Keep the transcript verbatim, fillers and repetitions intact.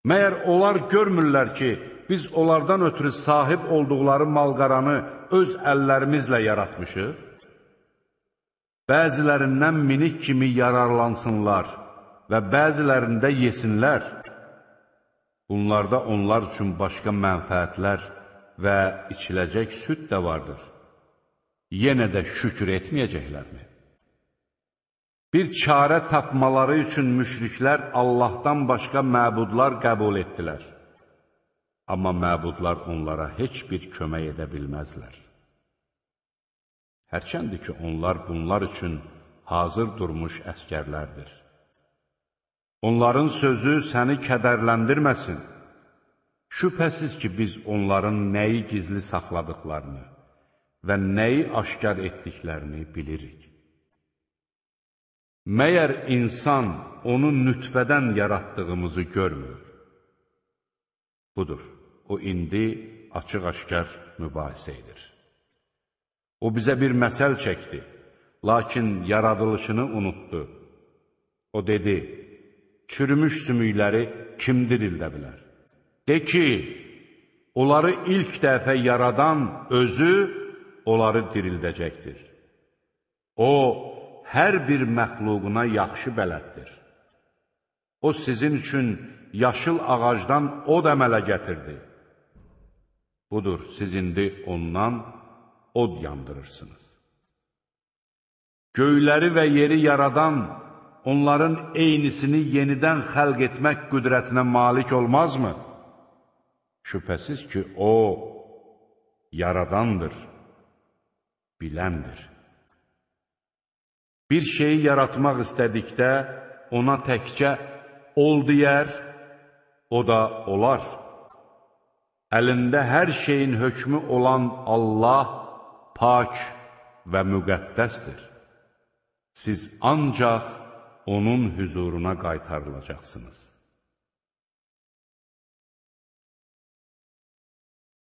Məyər onlar görmürlər ki, biz onlardan ötürü sahib olduqları malqaranı öz əllərimizlə yaratmışıq? Bəzilərindən minik kimi yararlansınlar və bəzilərində yesinlər. Bunlarda onlar üçün başqa mənfəətlər və içiləcək süd də vardır. Yenə də şükür etməyəcəklərmi? Bir çarə tapmaları üçün müşriklər Allahdan başqa məbudlar qəbul etdilər. Amma məbudlar onlara heç bir kömək edə bilməzlər. Hərçəndir ki, onlar bunlar üçün hazır durmuş əskərlərdir. Onların sözü səni kədərləndirməsin. Şübhəsiz ki, biz onların nəyi gizli saxladıqlarını və nəyi aşkar etdiklərini bilirik. Məyər insan onu nütfədən yaratdığımızı görmür? Budur, o indi açıq-aşkar mübahisə edir. O bizə bir məsəl çəkdi, lakin yaradılışını unutdu. O dedi, çürümüş sümükləri kim dirildə bilər? De ki, onları ilk dəfə yaradan özü onları dirildəcəkdir. O, hər bir məxluquna yaxşı bələddir. O, sizin üçün yaşıl ağacdan od əmələ gətirdi. Budur, siz indi ondan od yandırırsınız. Göyləri və yeri yaradan, onların eynisini yenidən xəlq etmək qüdrətinə malik olmazmı? Şübhəsiz ki, o, yaradandır, biləndir. Bir şeyi yaratmaq istədikdə, ona təkcə ol deyər, o da olar. Əlində hər şeyin hökmü olan Allah pak və müqəddəsdir. Siz ancaq onun hüzuruna qaytarılacaqsınız.